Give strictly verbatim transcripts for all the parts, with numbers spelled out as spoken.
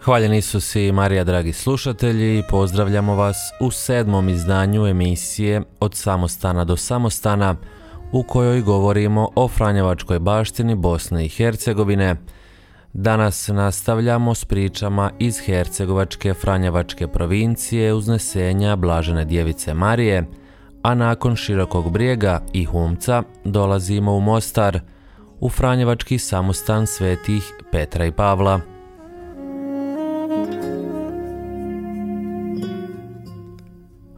Hvaljen Isus i Marija, dragi slušatelji, pozdravljamo vas u sedmom izdanju emisije Od samostana do samostana, u kojoj govorimo o franjevačkoj baštini Bosne i Hercegovine. Danas nastavljamo s pričama iz Hercegovačke franjevačke provincije uznesenja Blažene Djevice Marije, a nakon Širokog Brijega i Humca dolazimo u Mostar, u franjevački samostan svetih Petra i Pavla.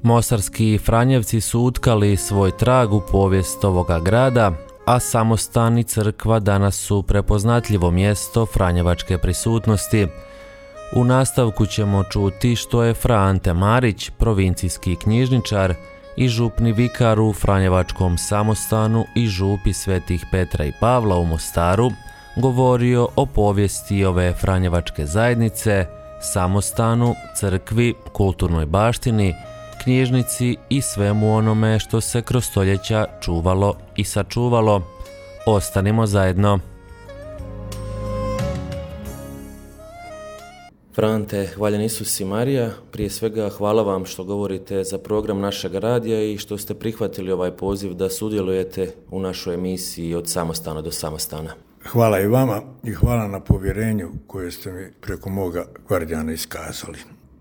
Mostarski Franjevci su utkali svoj trag u povijest ovoga grada, a samostan i crkva danas su prepoznatljivo mjesto franjevačke prisutnosti. U nastavku ćemo čuti što je Fra Ante Marić, provincijski knjižničar i župni vikar u franjevačkom samostanu i župi svetih Petra i Pavla u Mostaru, govorio o povijesti ove franjevačke zajednice, samostanu, crkvi, kulturnoj baštini, knjižnici i svemu onome što se kroz stoljeća čuvalo i sačuvalo. Ostanimo zajedno. Fra Ante, hvaljen Isus i Marija, prije svega hvala vam što govorite za program našeg radija i što ste prihvatili ovaj poziv da sudjelujete u našoj emisiji Od samostana do samostana. Hvala i vama i hvala na povjerenju koje ste mi preko moga gvardijana iskazali.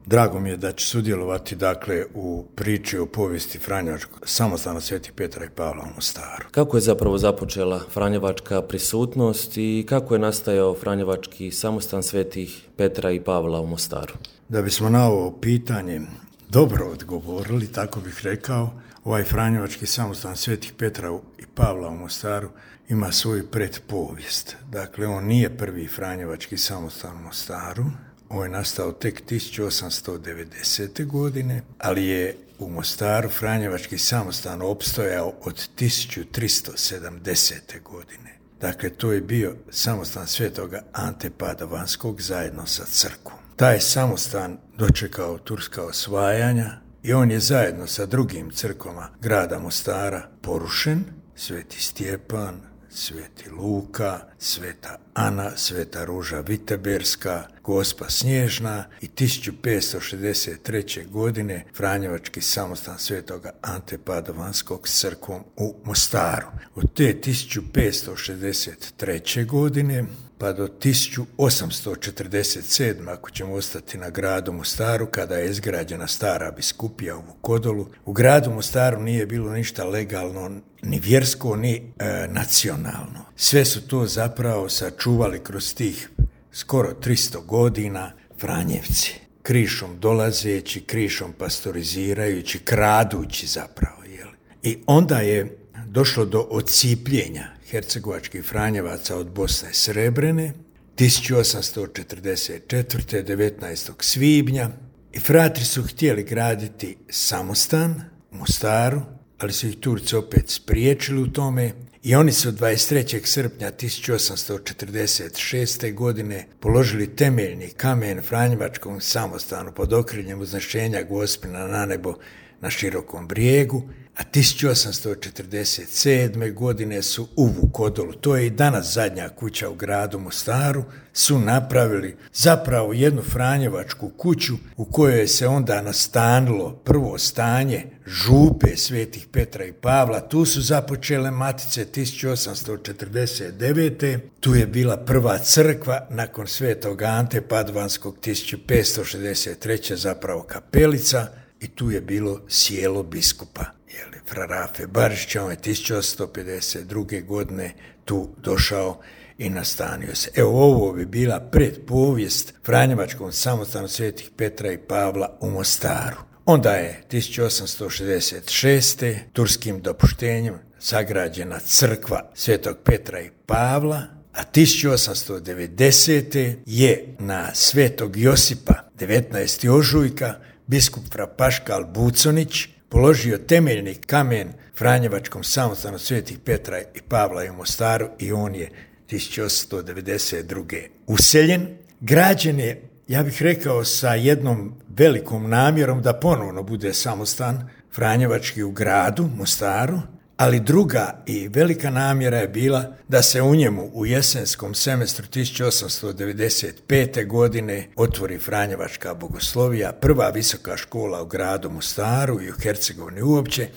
Drago mi je da ću sudjelovati dakle u priči o povijesti franjevačkog samostana svetih Petra i Pavla u Mostaru. Kako je zapravo započela franjevačka prisutnost i kako je nastajao franjevački samostan svetih Petra i Pavla u Mostaru? Da bismo na ovo pitanje dobro odgovorili, tako bih rekao, ovaj franjevački samostan svetih Petra i Pavla u Mostaru ima svoju pretpovijest. Dakle, on nije prvi franjevački samostan u Mostaru. On je nastao tek tisuću osamsto devedesete. godine, ali je u Mostaru franjevački samostan opstojao od tisuću tristo sedamdesete. godine. Dakle, to je bio samostan svetoga Ante Padovanskog zajedno sa crkvom. Taj je samostan dočekao turska osvajanja i on je zajedno sa drugim crkvama grada Mostara porušen. Sveti Stjepan, Sveti Luka, Sveta Ana, Sveta Ruža Viteberska, Gospa Snježna i tisuću petsto šezdeset treće. godine franjevački samostan svetoga Ante Padovanskog s crkvom u Mostaru. Od te tisuću petsto šezdeset treće. godine pa do tisuću osamsto četrdeset sedme. ako ćemo ostati na gradu Mostaru, kada je izgrađena stara biskupija u Vukodolu, u gradu Mostaru nije bilo ništa legalno, ni vjersko, ni e, nacionalno. Sve su to zapravo sačuvali kroz tih skoro tristo godina Franjevci. Krišom dolazeći, krišom pastorizirajući, kradući zapravo. Jel? I onda je došlo do ocipljenja hercegovačkih Franjevaca od Bosne Srebrene tisuću osamsto četrdeset četvrte. devetnaestog svibnja i fratri su htjeli graditi samostan u Mostaru, ali su ih Turci opet spriječili u tome i oni su dvadeset trećeg srpnja tisuću osamsto četrdeset šeste. godine položili temeljni kamen franjevačkom samostanu pod okriljem uznešenja Gospina na nebo na Širokom Brijegu, a tisuću osamsto četrdeset sedme. godine su u Vukodolu, to je i danas zadnja kuća u gradu Mostaru, su napravili zapravo jednu franjevačku kuću u kojoj se onda nastanilo prvo stanje župe svetih Petra i Pavla. Tu su započele matice tisuću osamsto četrdeset devete. Tu je bila prva crkva nakon svetog Ante Padovanskog tisuću petsto šezdeset treće. zapravo kapelica. I tu je bilo sjelo biskupa, jeli, Fra Rafe Barišića. On je tisuću osamsto pedeset druge. godine tu došao i nastanio se. Evo, ovo bi bila predpovijest franjevačkom samostanu svetih Petra i Pavla u Mostaru. Onda je tisuću osamsto šezdeset šeste. turskim dopuštenjem sagrađena crkva svetog Petra i Pavla, a tisuću osamsto devedesete. je na svetog Josipa devetnaestog ožujka biskup Fra Paškal Buconić položio temeljni kamen franjevačkom samostanu svetih Petra i Pavla u Mostaru i on je tisuću osamsto devedeset druge. useljen. Građen je, ja bih rekao, sa jednom velikom namjerom da ponovno bude samostan franjevački u gradu Mostaru, ali druga i velika namjera je bila da se u njemu u jesenskom semestru tisuću osamsto devedeset pete. godine otvori Franjevačka bogoslovija, prva visoka škola u gradu Mostaru i u Hercegovini uopće,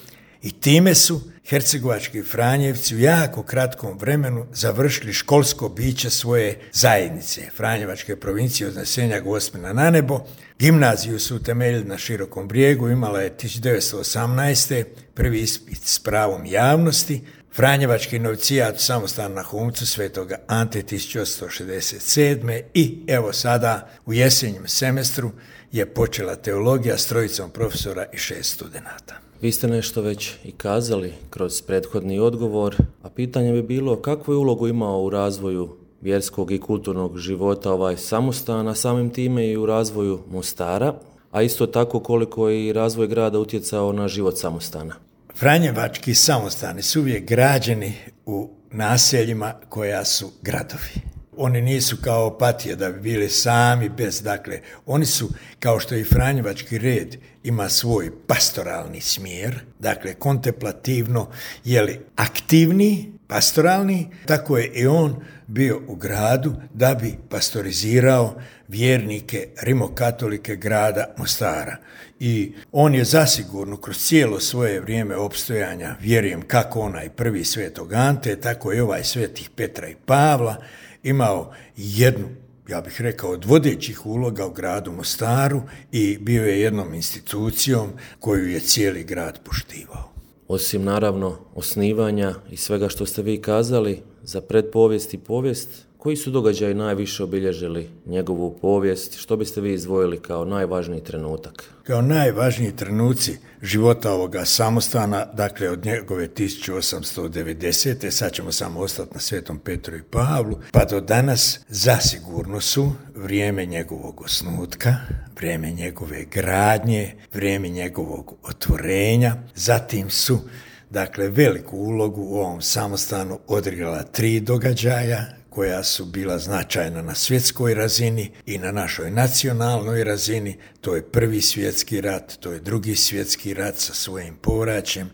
i time su hercegovački Franjevci u jako kratkom vremenu završili školsko biće svoje zajednice, Franjevačke provincije od Nasenja Gospina na nebo. Gimnaziju su utemeljili na Širokom brijegu, imala je tisuću devetsto osamnaeste. prvi ispit s pravom javnosti, Franjevački novicijat u samostanu na Humcu Svetoga Ante tisuću osamsto šezdeset sedme. i evo sada u jesenjem semestru je počela teologija s trojicom profesora i šest studenata. Vi ste nešto već i kazali kroz prethodni odgovor, a pitanje bi bilo kakvu je ulogu imao u razvoju vjerskog i kulturnog života ovaj samostan, a samim time i u razvoju Mostara, a isto tako koliko je i razvoj grada utjecao na život samostana. Franjevački samostani su uvijek građeni u naseljima koja su gradovi. Oni nisu kao Opatija da bi bili sami bez, dakle, oni su, kao što i Franjevački red ima svoj pastoralni smjer, dakle, kontemplativno, jeli aktivni, pastoralni, tako je i on bio u gradu da bi pastorizirao vjernike rimokatolike grada Mostara. I on je zasigurno kroz cijelo svoje vrijeme opstojanja, vjerujem kako onaj prvi Svetog Ante, tako i ovaj Svetih Petra i Pavla, imao jednu, ja bih rekao, od vodećih uloga u gradu Mostaru i bio je jednom institucijom koju je cijeli grad poštivao. Osim naravno osnivanja i svega što ste vi kazali za predpovijest i povijest, koji su događaji najviše obilježili njegovu povijest? Što biste vi izdvojili kao najvažniji trenutak? Kao najvažniji trenuci života ovoga samostana, dakle od njegove tisuću osamsto devedesete. sad ćemo samo ostati na Svetom Petru i Pavlu, pa do danas zasigurno su vrijeme njegovog osnutka, vrijeme njegove gradnje, vrijeme njegovog otvorenja, zatim su dakle veliku ulogu u ovom samostanu odigrala tri događaja koja su bila značajna na svjetskoj razini i na našoj nacionalnoj razini. To je prvi svjetski rat, to je drugi svjetski rat sa svojim povraćem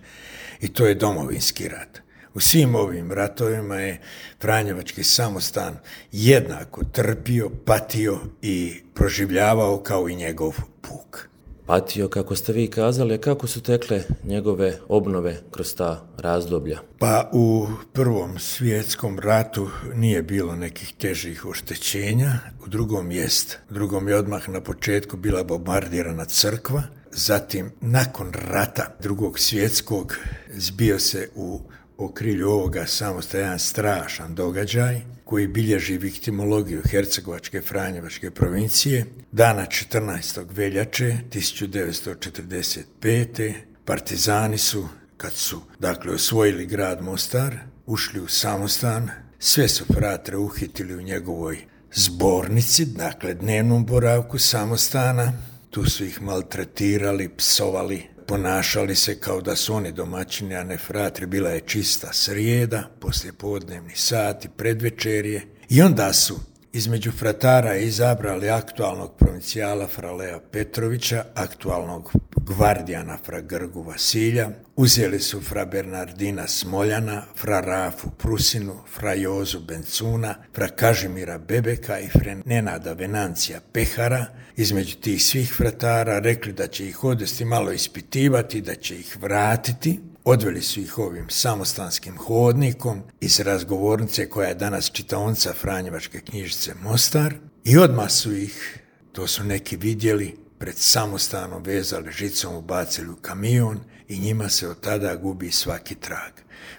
i to je domovinski rat. U svim ovim ratovima je Franjevački samostan jednako trpio, patio i proživljavao kao i njegov puk. Patio, kako ste vi kazali, a kako su tekle njegove obnove kroz ta razdoblja? Pa u prvom svjetskom ratu nije bilo nekih težih oštećenja, u drugom jest. U drugom je odmah na početku bila bombardirana crkva, zatim nakon rata drugog svjetskog zbio se u okrilju ovoga samostana jedan strašan događaj koji bilježi viktimologiju Hercegovačke Franjevačke provincije. Dana četrnaestog veljače tisuću devetsto četrdeset pete. partizani su, kad su dakle osvojili grad Mostar, ušli u samostan, sve su fratre uhitili u njegovoj zbornici, dakle dnevnom boravku samostana. Tu su ih maltretirali, psovali, ponašali se kao da su oni domaćini, a ne fratri. Bila je čista srijeda, poslije podnevni sati, predvečerje. I onda su između fratara izabrali aktualnog provincijala fra Lea Petrovića, aktualnog gvardijana fra Grgu Vasilja, uzeli su fra Bernardina Smoljana, fra Rafu Prusinu, fra Jozu Bencuna, fra Kažimira Bebeka i fra Nenada Venancija Pehara. Između tih svih fratara rekli da će ih odvesti malo ispitivati, da će ih vratiti. Odveli su ih ovim samostanskim hodnikom iz razgovornice koja je danas čitaonica Franjevačke knjižnice Mostar i odmah su ih, to su neki vidjeli, pred samostanom vezali žicom, ubacili u kamion i njima se od tada gubi svaki trag.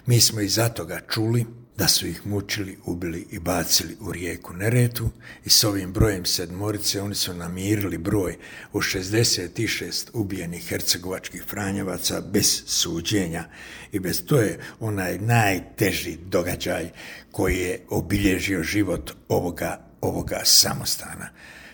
Mi smo iza toga čuli da su ih mučili, ubili i bacili u rijeku Neretvu i s ovim brojem sedmorice oni su namirili broj od šezdeset šest ubijenih hercegovačkih Franjevaca bez suđenja i bez, to je onaj najteži događaj koji je obilježio život ovoga, ovoga samostana.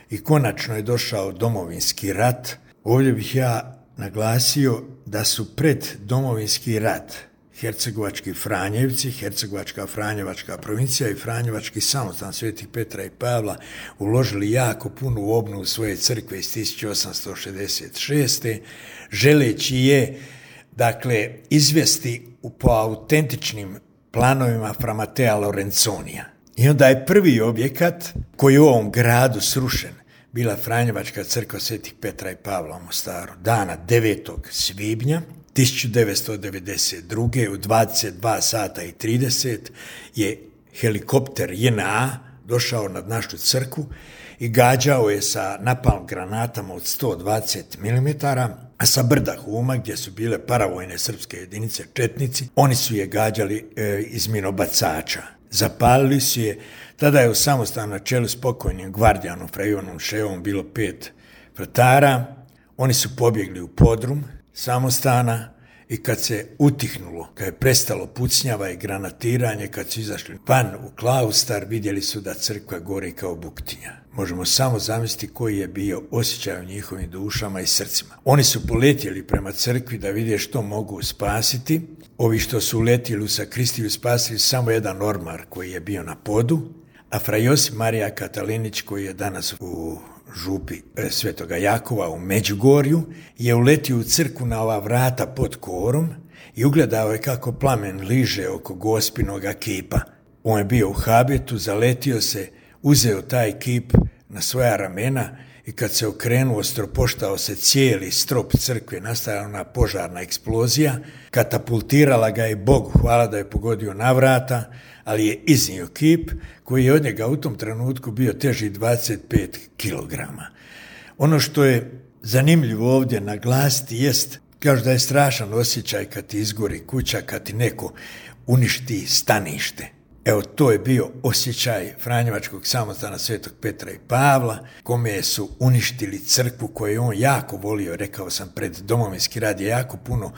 I konačno je došao domovinski rat. Ovdje bih ja naglasio da su pred domovinski rat hercegovački Franjevci, Hercegovačka Franjevačka provincija i Franjevački samostan Svetih Petra i Pavla uložili jako puno u obnovu svoje crkve iz tisuću osamsto šezdeset šeste. želeći je dakle, izvesti po autentičnim planovima fra Matea Lorenzonija. I onda je prvi objekat koji je u ovom gradu srušen bila Franjevačka crkva Svetih Petra i Pavla u Mostaru. Dana devetog svibnja tisuću devetsto devedeset druge u dvadeset dva sata i trideset je helikopter J N A došao nad našu crkvu i gađao je sa napalm granatama od sto dvadeset milimetara, a sa brda Huma, gdje su bile paravojne srpske jedinice četnici, oni su je gađali e, iz minobacača. Zapalili su je, tada je u samostanu na čelu s pokojnim gvardijanom fra Ivanom Ševom bilo pet vratara, oni su pobjegli u podrum samostana i kad se utihnulo, kad je prestalo pucnjava i granatiranje, kad su izašli van u klaustar, vidjeli su da crkva gori kao buktinja. Možemo samo zamisliti koji je bio osjećaj u njihovim dušama i srcima. Oni su poletjeli prema crkvi da vidje što mogu spasiti. Ovi što su uletjeli u sakristiju spasili samo jedan ormar koji je bio na podu, a fra Josip Marija Katalinić, koji je danas u župi Svetoga Jakova u Međugorju, je uletio u crkvu na ova vrata pod korom i ugledao je kako plamen liže oko gospinoga kipa. On je bio u habitu, zaletio se, uzeo taj kip na svoja ramena i kad se okrenuo, stropoštao se cijeli strop crkve, nastala ona požarna eksplozija, katapultirala ga je Bogu, hvala da je pogodio na vrata, ali je iznio kip koji je od njega u tom trenutku bio teži dvadeset pet kilograma. Ono što je zanimljivo ovdje naglasiti jest, kažu da je strašan osjećaj kad ti izgori kuća, kad ti neko uništi stanište. Evo, to je bio osjećaj Franjevačkog samostana Svetog Petra i Pavla, kome su uništili crkvu koju je on jako volio. Rekao sam, pred Domovinski rat je jako puno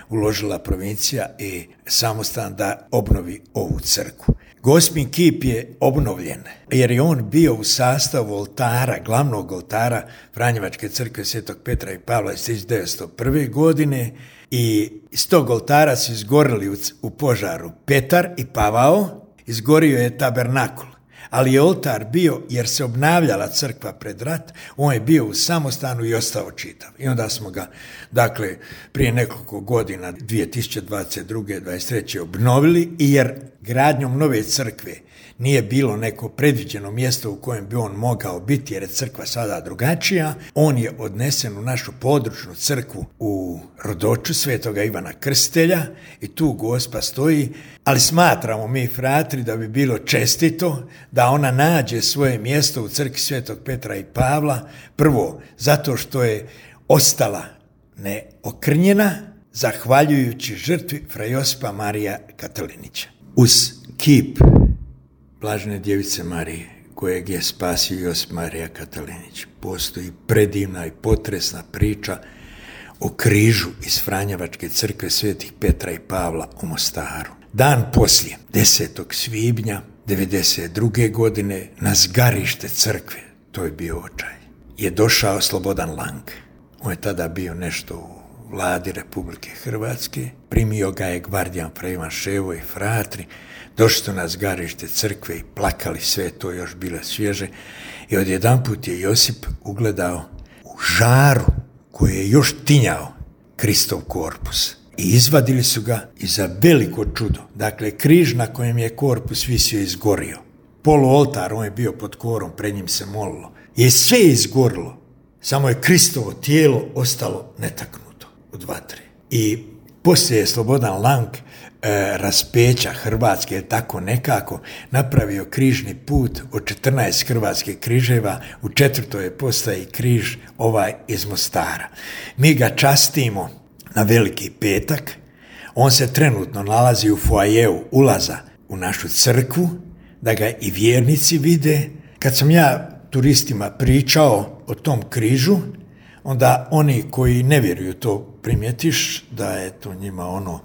uložila provincija i samostan da obnovi ovu crkvu. Gospin kip je obnovljen, jer je on bio u sastavu oltara, glavnog oltara Franjevačke crkve Svetog Petra i Pavla iz tisuću devetsto prve. godine i iz tog oltara su izgorili u, u požaru Petar i Pavao, izgorio je tabernakul, ali je oltar bio, jer se obnavljala crkva pred rat, on je bio u samostanu i ostao čitav. I onda smo ga, dakle, prije nekoliko godina, dvije tisuće dvadeset druge. dvadeset treće obnovili, i jer gradnjom nove crkve nije bilo neko predviđeno mjesto u kojem bi on mogao biti, jer je crkva sada drugačija, on je odnesen u našu područnu crkvu u Rodoču Svetoga Ivana Krstitelja i tu Gospa stoji, ali smatramo mi, fratri, da bi bilo čestito da ona nađe svoje mjesto u crkvi Svetog Petra i Pavla, prvo zato što je ostala neokrnjena, zahvaljujući žrtvi fra Josipa Marija Katalinića. Uz kip Blažene djevice Marije, kojeg je spasio Josip Marija Katalinić, postoji predivna i potresna priča o križu iz Franjevačke crkve Svetih Petra i Pavla u Mostaru. Dan poslije, desetog svibnja devedeset druge. godine, na zgarište crkve, to je bio očaj, je došao Slobodan Lang. On je tada bio nešto u vladi Republike Hrvatske, primio ga je gvardijan fra Ivan Ševo i fratri, došli su na zgarište crkve i plakali, sve to još bilo svježe, i odjedanput je Josip ugledao u žaru koji je još tinjao Kristov korpus. I izvadili su ga i za veliko čudo, dakle, križ na kojem je korpus visio izgorio. Poluoltar, on je bio pod korom, pred njim se molilo, je sve izgorilo, samo je Kristovo tijelo ostalo netaknuto od vatre. I poslije je Slobodan Lang e, raspeća Hrvatske, tako nekako, napravio križni put od četrnaest hrvatskih križeva, u četvrtoj postaji križ ovaj iz Mostara. Mi ga častimo na Veliki petak, on se trenutno nalazi u foajeu ulaza u našu crkvu, da ga i vjernici vide. Kad sam ja turistima pričao o tom križu, onda oni koji ne vjeruju to primjetiš, da je to njima ono,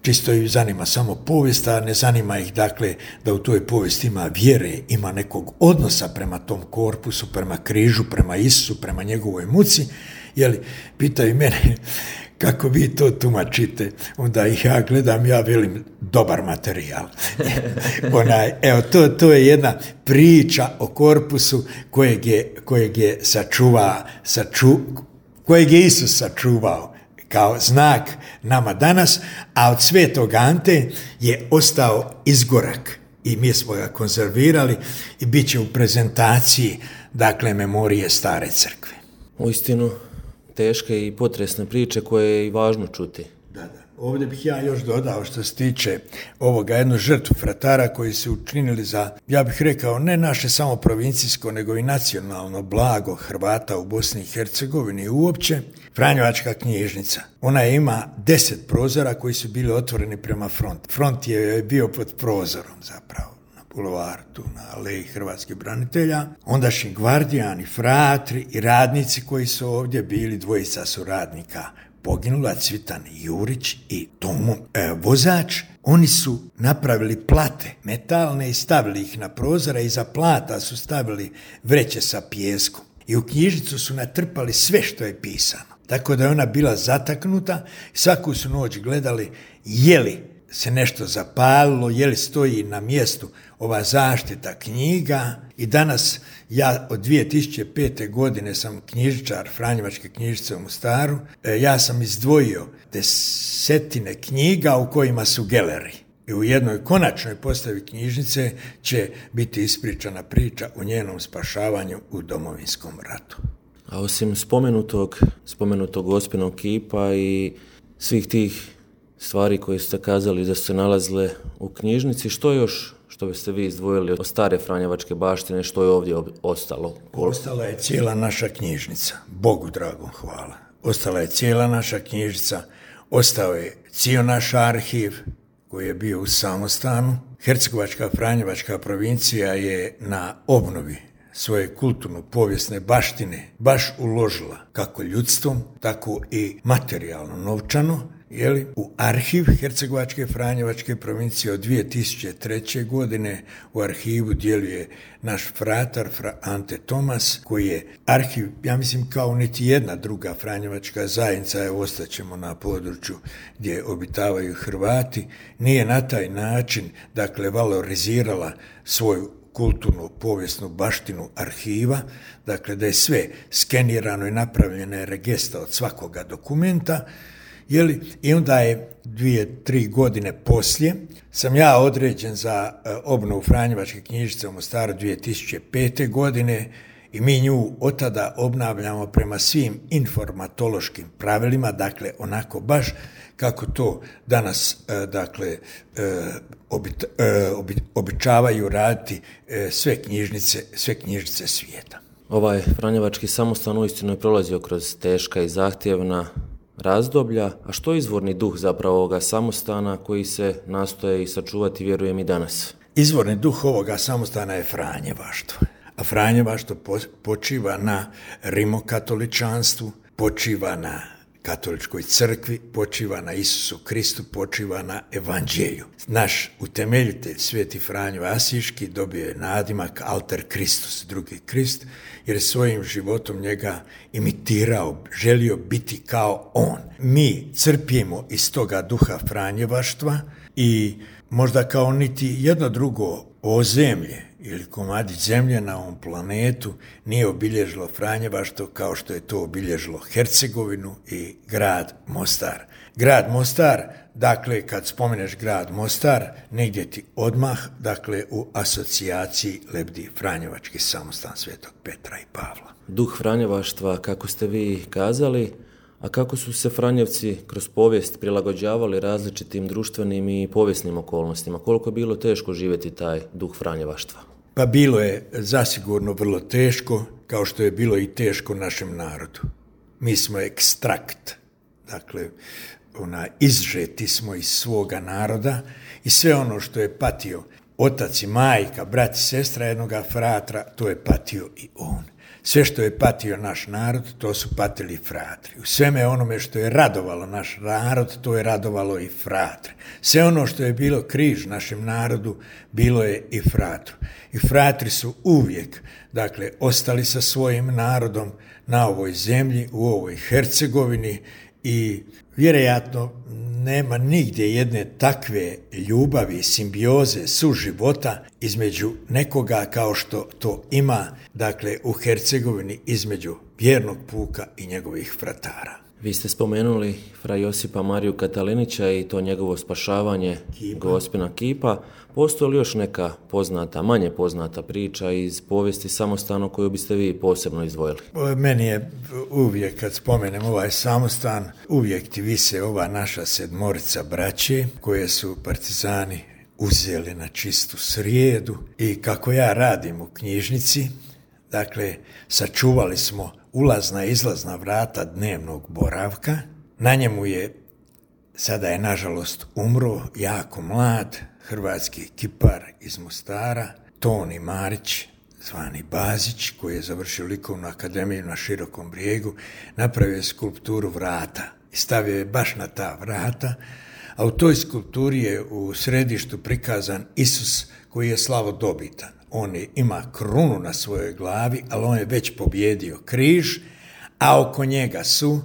čisto ih zanima samo povijest, a ne zanima ih, dakle, da u toj povijesti ima vjere, ima nekog odnosa prema tom korpusu, prema križu, prema Isusu, prema njegovoj muci. Jeli, pitaju mene kako vi to tumačite, onda ih ja gledam, ja velim, dobar materijal. Onaj, evo, to, to je jedna priča o korpusu kojeg je, kojeg je sačuva, saču, kojeg je Isus sačuvao. kao znak nama danas, a od Svetog Ante je ostao izgorak i mi smo ga konzervirali i bit će u prezentaciji, dakle, memorije Stare crkve. Uistinu teške i potresne priče koje je i važno čuti. Da, da. Ovdje bih ja još dodao što se tiče ovoga jednu žrtvu fratara koji su učinili za, ja bih rekao, ne naše samo provincijsko, nego i nacionalno blago Hrvata u Bosni i Hercegovini uopće. Franjevačka knjižnica. Ona ima deset prozora koji su bili otvoreni prema frontu. Front je bio pod prozorom zapravo. Bulevaru, tu na aleji hrvatskih branitelja, ondašnji gvardijani, fratri i radnici koji su ovdje bili, dvojica su radnika poginula, Cvitan Jurić i Tomo e, vozač. Oni su napravili plate metalne i stavili ih na prozore, iza plata su stavili vreće sa pijeskom i u knjižnicu su natrpali sve što je pisano. Tako da je ona bila zataknuta, svaku su noć gledali je li se nešto zapalilo, je li stoji na mjestu ova zaštita knjiga. I danas ja od dvije tisuće pete. godine sam knjižničar Franjevačke knjižnice u Mostaru. Ja sam izdvojio desetine knjiga u kojima su geleri. I u jednoj konačnoj postavi knjižnice će biti ispričana priča o njenom spašavanju u Domovinskom ratu. A osim spomenutog, spomenutog Gospinog kipa i svih tih stvari koje ste kazali da su se nalazile u knjižnici, što još što biste vi izdvojili od stare franjevačke baštine, što je ovdje ostalo? Ostala je cijela naša knjižnica, Bogu dragom hvala. Ostala je cijela naša knjižnica, ostao je cijel naš arhiv koji je bio u samostanu. Hercegovačka franjevačka provincija je na obnovi svoje kulturno-povijesne baštine baš uložila kako ljudstvom, tako i materijalno novčano. Jeli, u arhiv Hercegovačke franjevačke provincije od dvije tisuće treće. godine u arhivu djeluje naš fratar fra Ante Tomas, koji je arhiv, ja mislim, kao niti jedna druga franjevačka zajednica, evo ostaćemo na području gdje obitavaju Hrvati, nije na taj način, dakle, valorizirala svoju kulturnu povijesnu baštinu arhiva, dakle da je sve skenirano i napravljena je regesta od svakoga dokumenta. Jeli, i onda je dvije, tri godine poslije sam ja određen za obnovu Franjevačke knjižnice u Mostaru dvije tisuće pete. godine i mi nju od tada obnavljamo prema svim informatološkim pravilima, dakle onako baš kako to danas dakle obit, obit, običavaju raditi sve knjižnice, sve knjižnice svijeta. Ovaj Franjevački samostan uistinu je prolazio kroz teška i zahtjevna razdoblja, a što je izvorni duh zapravo ovoga samostana koji se nastoje i sačuvati, vjerujem, i danas? Izvorni duh ovoga samostana je franjevaštvo. A franjevaštvo počiva na rimokatoličanstvu, počiva na katoličkoj crkvi, počiva na Isusu Kristu, počiva na evanđelju. Naš utemeljitelj, Sveti Franjo Asiški, dobio je nadimak Alter Kristus, drugi Krist, jer je svojim životom njega imitirao, želio biti kao on. Mi crpimo iz toga duha franjevaštva i možda kao niti jedno drugo ozemlje ili komadić zemlje na ovom planetu nije obilježilo franjevaštvo kao što je to obilježilo Hercegovinu i grad Mostar. Grad Mostar, dakle, kad spomeneš grad Mostar, negdje ti odmah, dakle, u asocijaciji lebdi Franjevački samostan Svetog Petra i Pavla. Duh franjevaštva, kako ste vi kazali, a kako su se Franjevci kroz povijest prilagođavali različitim društvenim i povijesnim okolnostima? Koliko je bilo teško živjeti taj duh franjevaštva? Pa bilo je zasigurno vrlo teško, kao što je bilo i teško našem narodu. Mi smo ekstrakt, dakle, ona, izžeti smo iz svoga naroda i sve ono što je patio otac i majka, brat i sestra jednoga fratra, to je patio i on. Sve što je patio naš narod, to su patili fratri. U sveme onome što je radovalo naš narod, to je radovalo i fratre. Sve ono što je bilo križ našem narodu, bilo je i fratru. I fratri su uvijek, dakle, ostali sa svojim narodom na ovoj zemlji, u ovoj Hercegovini i vjerojatno nema nigdje jedne takve ljubavi, simbioze, suživota između nekoga kao što to ima, dakle, u Hercegovini između vjernog puka i njegovih fratara. Vi ste spomenuli fra Josipa Mariju Katalinića i to njegovo spašavanje Gospina kipa. Postoji li još neka poznata, manje poznata priča iz povijesti Samostana koju biste vi posebno izdvojili? Meni je uvijek, kad spomenem ovaj Samostan, uvijek ti vise ova naša sedmorica braće koje su partizani uzeli na čistu srijedu i kako ja radim u knjižnici, dakle, sačuvali smo ulazna i izlazna vrata dnevnog boravka. Na njemu je, sada je nažalost umro, jako mlad, hrvatski kipar iz Mostara, Toni Marić, zvani Bazić, koji je završio likovnu akademiju na Širokom Brijegu, napravio je skulpturu vrata i stavio je baš na ta vrata, a u toj skulpturi je u središtu prikazan Isus koji je slavodobitan. On je, ima krunu na svojoj glavi, ali on je već pobjedio križ, a oko njega su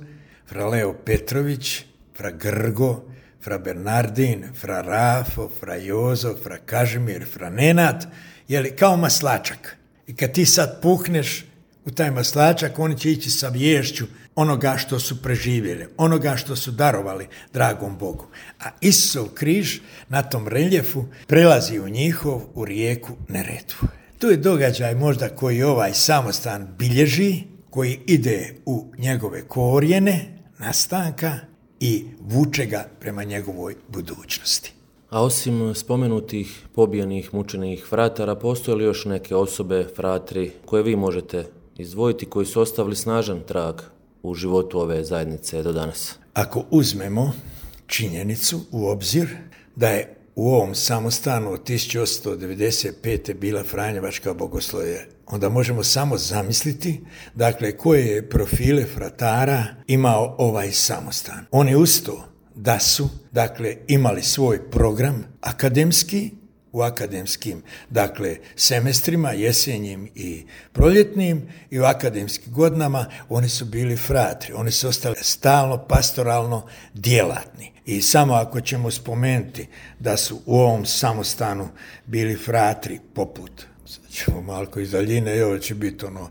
fra Leo Petrović, fra Grgo, fra Bernardin, fra Rafo, fra Jozo, fra Kažimir, fra Nenad, jeli kao maslačak. I kad ti sad puhneš u taj maslačak, oni će ići sa vješću onoga što su preživjeli, onoga što su darovali dragom Bogu. A Isusov križ na tom reljefu prelazi u njihov, u rijeku Neretvu. To je događaj možda koji ovaj Samostan bilježi, koji ide u njegove korijene, nastanka i vuče ga prema njegovoj budućnosti. A osim spomenutih pobijenih, mučenih fratara, postoje li još neke osobe, fratri, koje vi možete izdvojiti, koji su ostavili snažan trag u životu ove zajednice do danas? Ako uzmemo činjenicu u obzir da je u ovom Samostanu od tisuću osamsto devedeset pete bila Franjevačka bogoslovija, onda možemo samo zamisliti, dakle, koje je profile fratara imao ovaj Samostan. Oni uz to da su, dakle, imali svoj program akademski, u akademskim, dakle, semestrima, jesenjim i proljetnim, i u akademskim godinama oni su bili fratri. Oni su ostali stalno pastoralno djelatni. I samo ako ćemo spomenuti da su u ovom Samostanu bili fratri poput, sad ćemo malko iz daljine, i ovo će biti ono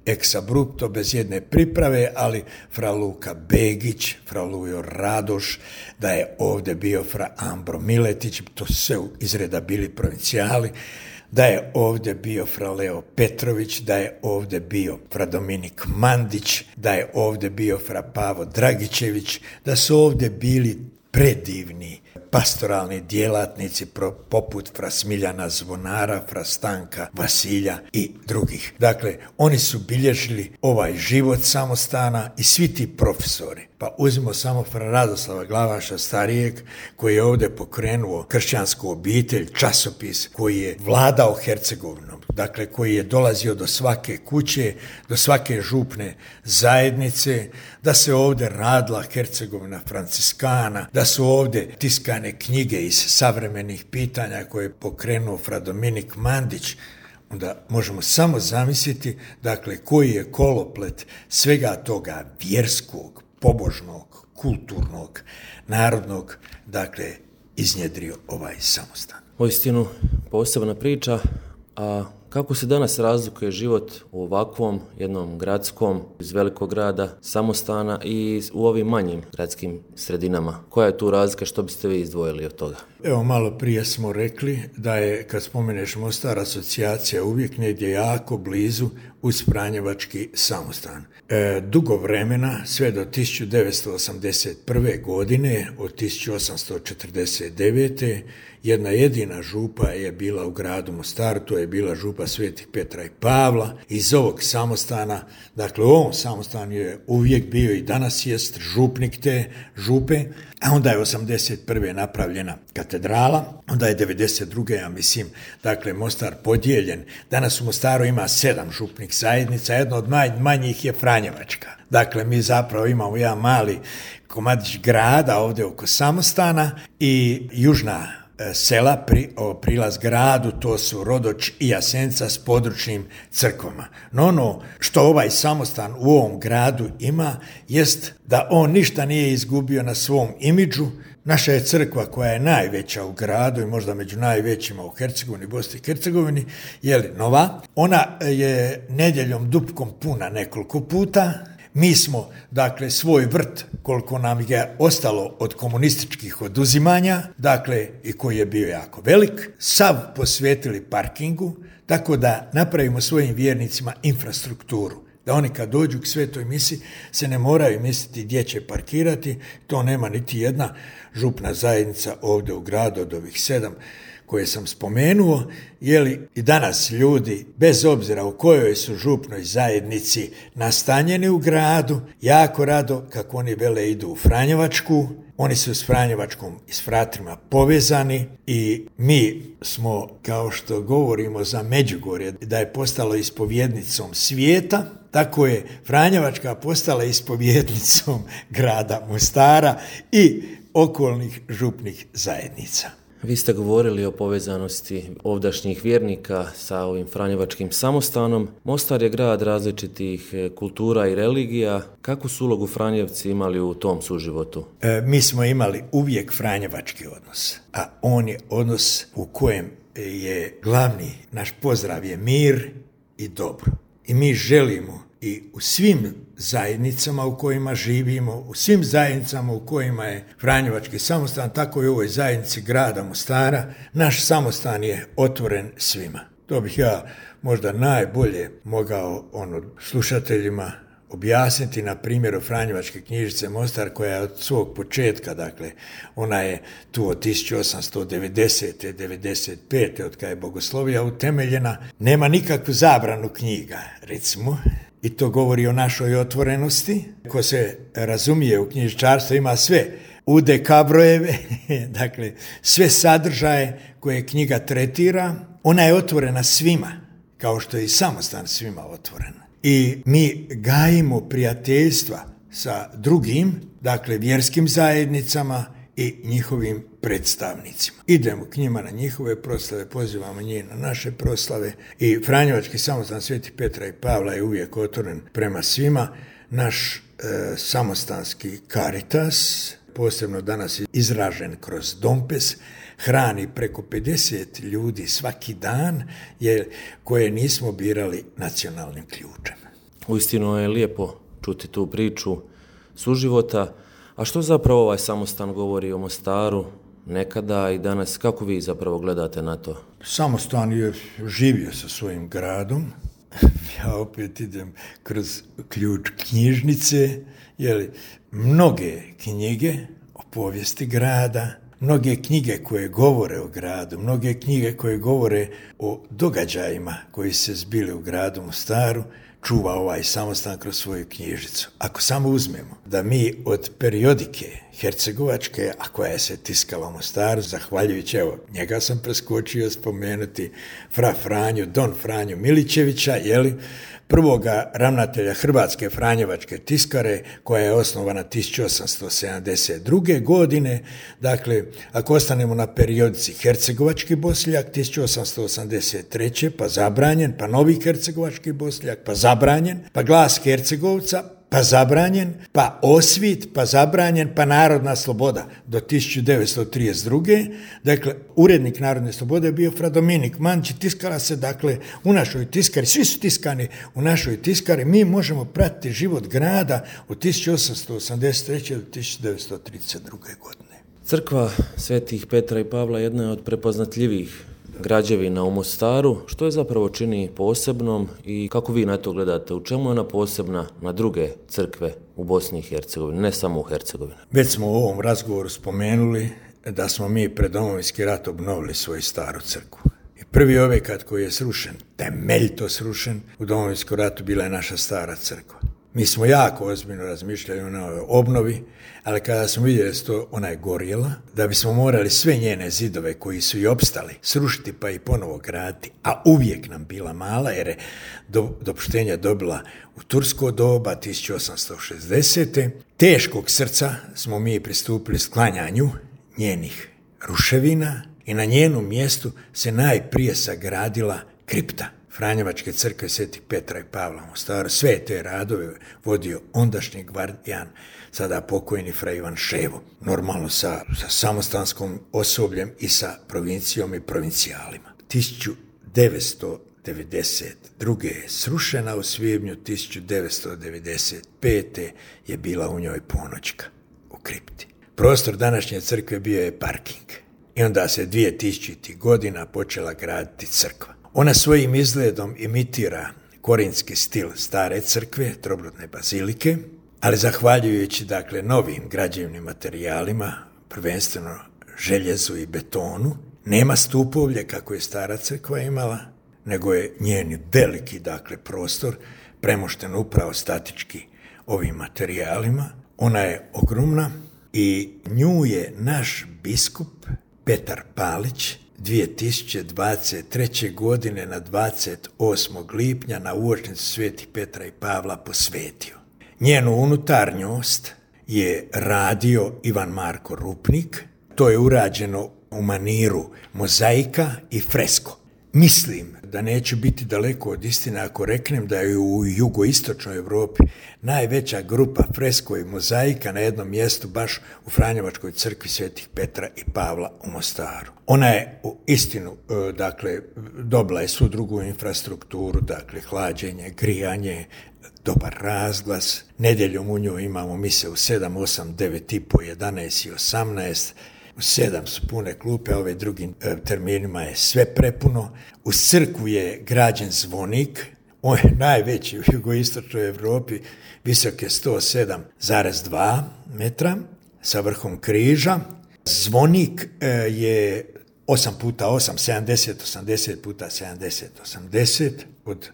ex abrupto, bez jedne priprave, ali fra Luka Begić, fra Lujo Radoš, da je ovdje bio fra Ambro Miletić, to su sve iz reda bili provincijali, da je ovdje bio fra Leo Petrović, da je ovdje bio fra Dominik Mandić, da je ovdje bio fra Pavo Dragičević, da su ovdje bili predivni pastoralni djelatnici poput fra Smiljana Zvonara, fra Stanka Vasilja i drugih. Dakle, oni su bilježili ovaj život Samostana i svi ti profesori. Pa uzmimo samo fra Radoslava Glavaša starijeg, koji je ovdje pokrenuo kršćansku obitelj, časopis koji je vladao Hercegovinom, dakle koji je dolazio do svake kuće, do svake župne zajednice, da se ovdje radila Hercegovina Franciskana, da su ovdje tiskane knjige iz savremenih pitanja koje je pokrenuo fra Dominik Mandić. Onda možemo samo zamisliti, dakle, koji je koloplet svega toga vjerskog, pobožnog, kulturnog, narodnog, dakle, iznjedrio ovaj Samostan. Uistinu posebna priča, a kako se danas razlikuje život u ovakvom jednom gradskom, iz velikog grada, Samostana i u ovim manjim gradskim sredinama? Koja je tu razlika, što biste vi izdvojili od toga? Evo, malo prije smo rekli da je, kad spomeneš Mostar, asocijacija uvijek negdje jako blizu uz Franjevački Samostan. E, dugo vremena, sve do tisuću devetsto osamdeset prve. godine, od tisuću osamsto četrdeset devete. jedna jedina župa je bila u gradu Mostaru, to je bila župa Svetih Petra i Pavla. Iz ovog Samostana, dakle u ovom Samostanu je uvijek bio i danas jest župnik te župe, a onda je osamdeset prve napravljena katedrala, onda je devedeset druge. ja mislim, dakle Mostar podijeljen. Danas u Mostaru ima sedam župnih zajednica, jedna od manjih je Franjevačka. Dakle, mi zapravo imamo jedan mali komadić grada ovdje oko Samostana i južna sela, pri, o, prilaz gradu, to su Rodoč i Jasenica s područnim crkvama. No ono što ovaj Samostan u ovom gradu ima, jest da on ništa nije izgubio na svom imidžu. Naša je crkva, koja je najveća u gradu i možda među najvećima u Hercegovini, Bosni i Hercegovini, je li nova. Ona je nedjeljom dupkom puna nekoliko puta. Mi smo, dakle, svoj vrt, koliko nam je ostalo od komunističkih oduzimanja, dakle, i koji je bio jako velik, sav posvetili parkingu, tako da napravimo svojim vjernicima infrastrukturu. Da oni kad dođu k svetoj misi se ne moraju misliti gdje će parkirati, to nema niti jedna župna zajednica ovdje u gradu od ovih sedam koje sam spomenuo, jeli i danas ljudi, bez obzira u kojoj su župnoj zajednici nastanjeni u gradu, jako rado, kako oni vele, idu u Franjevačku, oni su s Franjevačkom i s fratrima povezani i mi smo, kao što govorimo za Međugorje, da je postalo ispovjednicom svijeta, tako je Franjevačka postala ispovjednicom grada Mostara i okolnih župnih zajednica. Vi ste govorili o povezanosti ovdašnjih vjernika sa ovim Franjevačkim samostanom. Mostar je grad različitih kultura i religija. Kakvu su ulogu Franjevci imali u tom suživotu? E, mi smo imali uvijek franjevački odnos, a on je odnos u kojem je glavni naš pozdrav je mir i dobro. I mi želimo i u svim zajednicama u kojima živimo, u svim zajednicama u kojima je Franjevački samostan, tako i u ovoj zajednici grada Mostara, naš samostan je otvoren svima. To bih ja možda najbolje mogao ono, slušateljima objasniti na primjeru Franjevačke knjižnice Mostar, koja je od svog početka, dakle, ona je tu od tisuću osamsto devedesete. devedeset pete. od kada je bogoslovija utemeljena, nema nikakvu zabranu knjiga, recimo. I to govori o našoj otvorenosti. Ko se razumije u knjižničarstvu ima sve udekabrojeve, dakle sve sadržaje koje knjiga tretira. Ona je otvorena svima, kao što je i samostan svima otvoren. I mi gajimo prijateljstva sa drugim, dakle vjerskim zajednicama i njihovim predstavnicima. Idemo k njima na njihove proslave, pozivamo njih na naše proslave i Franjevački samostan Sveti Petra i Pavla je uvijek otvoren prema svima. Naš e, samostanski Caritas, posebno danas izražen kroz Dompes, hrani preko pedeset ljudi svaki dan, jer koje nismo birali nacionalnim ključem. Uistinu je lijepo čuti tu priču suživota. A što zapravo ovaj samostan govori o Mostaru nekada i danas? Kako vi zapravo gledate na to? Samostan je živio sa svojim gradom. Ja opet idem kroz ključ knjižnice, jer mnoge knjige o povijesti grada, mnoge knjige koje govore o gradu, mnoge knjige koje govore o događajima koji se zbili u gradu Mostaru, čuva ovaj samostan kroz svoju knjižnicu. Ako samo uzmemo da mi od periodike hercegovačke, a koja je se tiskala u Mostaru, zahvaljujući, evo, njega sam preskočio spomenuti, fra Franju, Don Franju Milićevića, jeli, prvoga ravnatelja Hrvatske Franjevačke tiskare, koja je osnovana tisuću osamsto sedamdeset druge. godine. Dakle, ako ostanemo na periodici Hercegovački Bosljak, tisuću osamsto osamdeset treće. pa zabranjen, pa Novi Hercegovački Bosljak, pa zabranjen, pa Glas Hercegovca, pa zabranjen, pa Osvit, pa zabranjen, pa Narodna sloboda do tisuću devetsto trideset druge. Dakle, urednik Narodne slobode je bio fra Dominik Mančić, tiskala se, dakle, u našoj tiskari, svi su tiskani u našoj tiskari, mi možemo pratiti život grada od tisuću osamsto osamdeset treće. do tisuću devetsto trideset druge. godine. Crkva Svetih Petra i Pavla jedna je od prepoznatljivih građevina u Mostaru. Što je zapravo čini posebnom i kako vi na to gledate? U čemu je ona posebna na druge crkve u Bosni i Hercegovini, ne samo u Hercegovini? Već smo u ovom razgovoru spomenuli da smo mi pred Domovinski rat obnovili svoju staru crkvu. I prvi objekat koji je srušen, temeljito srušen, u Domovinskom ratu bila je naša stara crkva. Mi smo jako ozbiljno razmišljali o novoj obnovi, ali kada smo vidjeli da to ona je gorjela, da bismo morali sve njene zidove koji su i opstali srušiti pa i ponovo graditi, a uvijek nam bila mala jer je do, dopuštenja dobila u tursko doba tisuću osamsto šezdesete. Teškog srca smo mi pristupili sklanjanju njenih ruševina i na njenom mjestu se najprije sagradila kripta Franjevačke crkve Svetih Petra i Pavla u Mostaru. Sve te radove vodio ondašnji gvardijan, sada pokojni fra Ivan Ševo, normalno sa, sa samostanskom osobljem i sa provincijom i provincijalima. tisuću devetsto devedeset druge je srušena, u svibnju tisuću devetsto devedeset pete je bila u njoj ponoćka u kripti. Prostor današnje crkve bio je parking i onda se dvije tisućitih godina počela graditi crkva. Ona svojim izgledom imitira korinski stil stare crkve, trobrudne bazilike, ali zahvaljujući dakle novim građevnim materijalima, prvenstveno željezu i betonu, nema stupovlje kako je stara crkva imala, nego je njen veliki dakle prostor premošten upravo statički ovim materijalima. Ona je ogromna i nju je naš biskup Petar Palić dvije tisuće dvadeset treće. godine na dvadeset osmog lipnja na uočnicu Svetih Petra i Pavla posvetio. Njenu unutarnjost je radio Ivan Marko Rupnik. To je urađeno u maniru mozaika i fresko. Mislim da neću biti daleko od istine ako reknem da je u jugoistočnoj Europi najveća grupa fresko i mozaika na jednom mjestu baš u Franjevačkoj crkvi Svetih Petra i Pavla u Mostaru. Ona je u istinu, dakle, dobila je svu drugu infrastrukturu, dakle, hlađenje, grijanje, dobar razglas. Nedjeljom u njoj imamo mise u sedam, osam, devet i po, jedanaest i osamnaest. U sedam su pune klupe, a ove drugim e, terminima je sve prepuno. U crkvu je građen zvonik, on je najveći u jugoistočnoj Europi, visok je sto sedam zarez dva metra sa vrhom križa. Zvonik e, je osam puta osam, sedamdeset, osamdeset puta sedamdeset, osamdeset, od,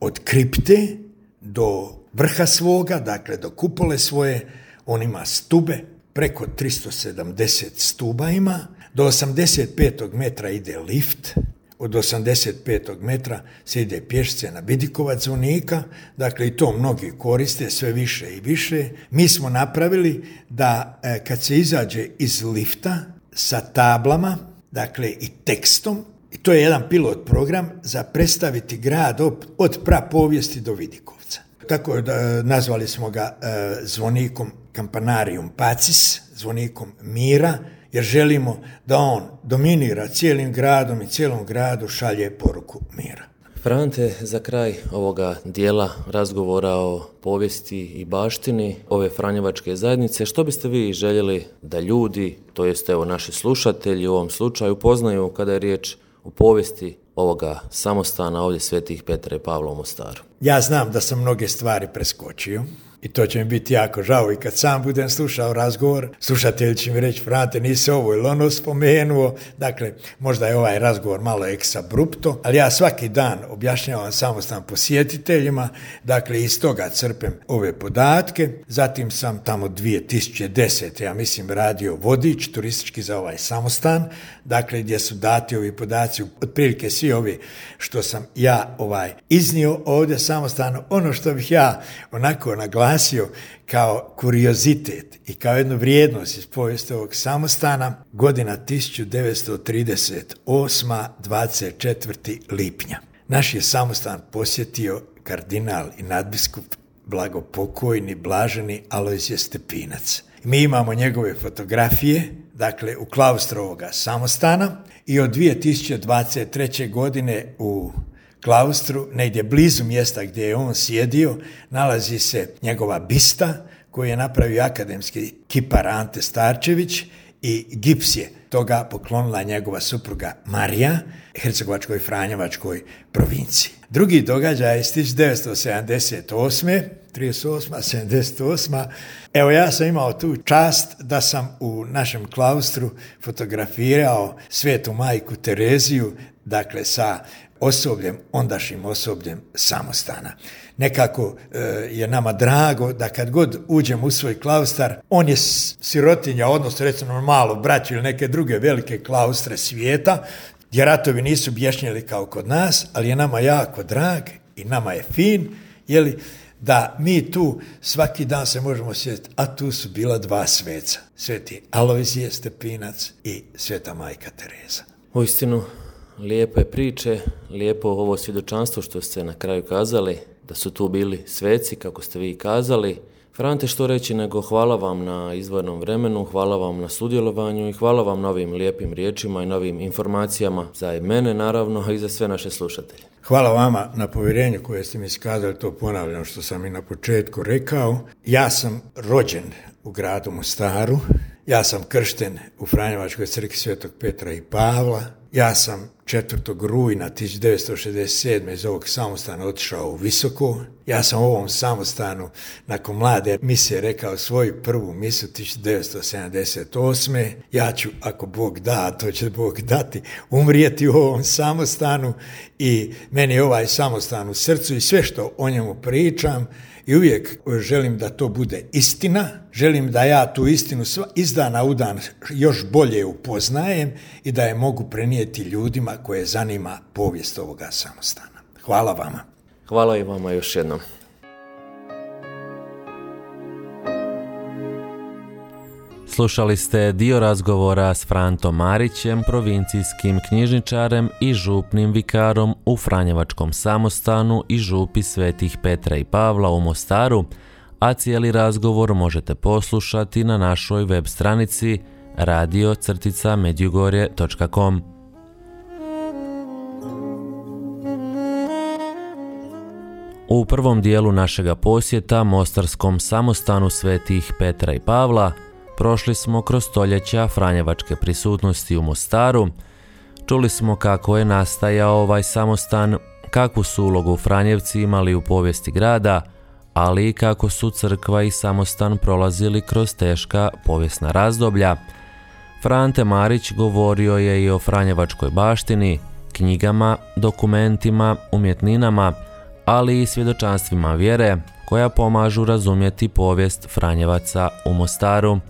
od kripte do vrha svoga, dakle do kupole svoje, on ima stube, preko tristo sedamdeset stuba ima, do osamdeset petog metra ide lift, od osamdeset petog metra se ide pješce na vidikovac zvonika, dakle i to mnogi koriste sve više i više. Mi smo napravili da e, kad se izađe iz lifta sa tablama, dakle i tekstom, i to je jedan pilot program za predstaviti grad od, od prapovijesti do Vidikovca. Tako da nazvali smo ga e, zvonikom Campanarium Pacis, zvonikom mira, jer želimo da on dominira cijelim gradom i cijelom gradu šalje poruku mira. Frante, za kraj ovoga dijela razgovora o povijesti i baštini ove Franjevačke zajednice, što biste vi željeli da ljudi, to jest evo naši slušatelji u ovom slučaju, poznaju kada je riječ o povijesti ovoga samostana ovdje Svetih Petra i Pavla u Mostaru? Ja znam da sam mnoge stvari preskočio i to će mi biti jako žao i kad sam budem slušao razgovor, slušatelji će mi reći, Frante, nisi ovo ili ono spomenuo, dakle, možda je ovaj razgovor malo exabrupto, ali ja svaki dan objašnjavam samostan posjetiteljima, dakle, iz toga crpem ove podatke, zatim sam tamo dvije tisuće desete. ja mislim radio vodič turistički za ovaj samostan, dakle, gdje su dati ovi podaci, otprilike svi ovi što sam ja ovaj iznio ovdje samostano, ono što bih ja onako naglasio kao kuriozitet i kao jednu vrijednost iz povijesti ovog samostana, godina tisuću devetsto trideset osma. dvadeset četvrtog lipnja. Naš je samostan posjetio kardinal i nadbiskup blagopokojni blaženi Alojzije Stepinac. Mi imamo njegove fotografije, dakle, u klaustru ovoga samostana i od dvije tisuće dvadeset treće. godine u klaustru, negdje blizu mjesta gdje je on sjedio, nalazi se njegova bista koju je napravio akademski kipar Ante Starčević i gips je toga poklonila njegova supruga Marija, Hercegovačkoj Franjevačkoj provinciji. Drugi događaj iz tisuću devetsto sedamdeset osme. trideset osma. sedamdeset osma. Evo, ja sam imao tu čast da sam u našem klaustru fotografirao Svetu majku Tereziju, dakle sa osobljem, ondašnjim osobljem samostana. Nekako e, je nama drago da kad god uđem u svoj klaustar, on je sirotinja, odnosno recimo malo braću ili neke druge velike klaustre svijeta, gdje ratovi nisu bješnjeli kao kod nas, ali je nama jako drag i nama je fin, jeli, da mi tu svaki dan se možemo sjetiti, a tu su bila dva sveca, Sveti Alojzije Stepinac i Sveta majka Tereza. Uistinu, lijepe priče, lijepo ovo svjedočanstvo što ste na kraju kazali, da su tu bili sveci, kako ste vi kazali, Frante, što reći nego hvala vam na izdvojenom vremenu, hvala vam na sudjelovanju i hvala vam na ovim lijepim riječima i novim informacijama za mene naravno i za sve naše slušatelje. Hvala vama na povjerenju koje ste mi iskazali, to ponavljam što sam i na početku rekao. Ja sam rođen u gradu Mostaru, ja sam kršten u Franjevačkoj crkvi Svetog Petra i Pavla, ja sam četvrtog rujna tisuću devetsto šezdeset sedme iz ovog samostana otišao u Visoko. Ja sam u ovom samostanu nakon mlade misije rekao svoju prvu misu tisuću devetsto sedamdeset osme. Ja ću, ako Bog da, to će Bog dati, umrijeti u ovom samostanu i meni je ovaj samostan u srcu i sve što o njemu pričam i uvijek želim da to bude istina, želim da ja tu istinu iz dana u dan još bolje upoznajem i da je mogu prenijeti ljudima koje zanima povijest ovoga samostana. Hvala vama. Hvala i vama još jednom. Slušali ste dio razgovora s Frantom Marićem, provincijskim knjižničarem i župnim vikarom u Franjevačkom samostanu i župi Svetih Petra i Pavla u Mostaru, a cijeli razgovor možete poslušati na našoj web stranici radio crtica medjugorje točka com. U prvom dijelu našega posjeta Mostarskom samostanu Svetih Petra i Pavla prošli smo kroz stoljeća franjevačke prisutnosti u Mostaru, čuli smo kako je nastajao ovaj samostan, kakvu su ulogu Franjevci imali u povijesti grada, ali i kako su crkva i samostan prolazili kroz teška povijesna razdoblja. Frante Marić govorio je i o franjevačkoj baštini, knjigama, dokumentima, umjetninama, ali i svjedočanstvima vjere koja pomažu razumjeti povijest Franjevaca u Mostaru.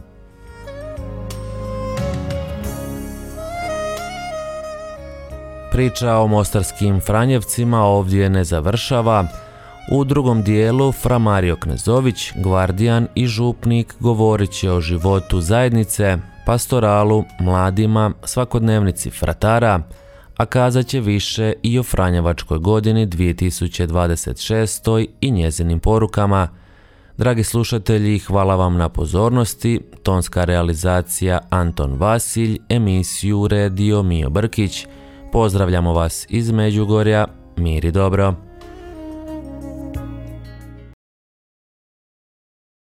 Priča o mostarskim Franjevcima ovdje ne završava. U drugom dijelu Fra Mario Knezović, gvardijan i župnik, govorit će o životu zajednice, pastoralu, mladima, svakodnevnici fratara, a kazat će više i o Franjevačkoj godini dvije tisuće dvadeset šeste. i njezinim porukama. Dragi slušatelji, hvala vam na pozornosti. Tonska realizacija Anton Vasilj, emisiju uredio Mijo Brkić. Pozdravljamo vas iz Međugorja, mir i dobro.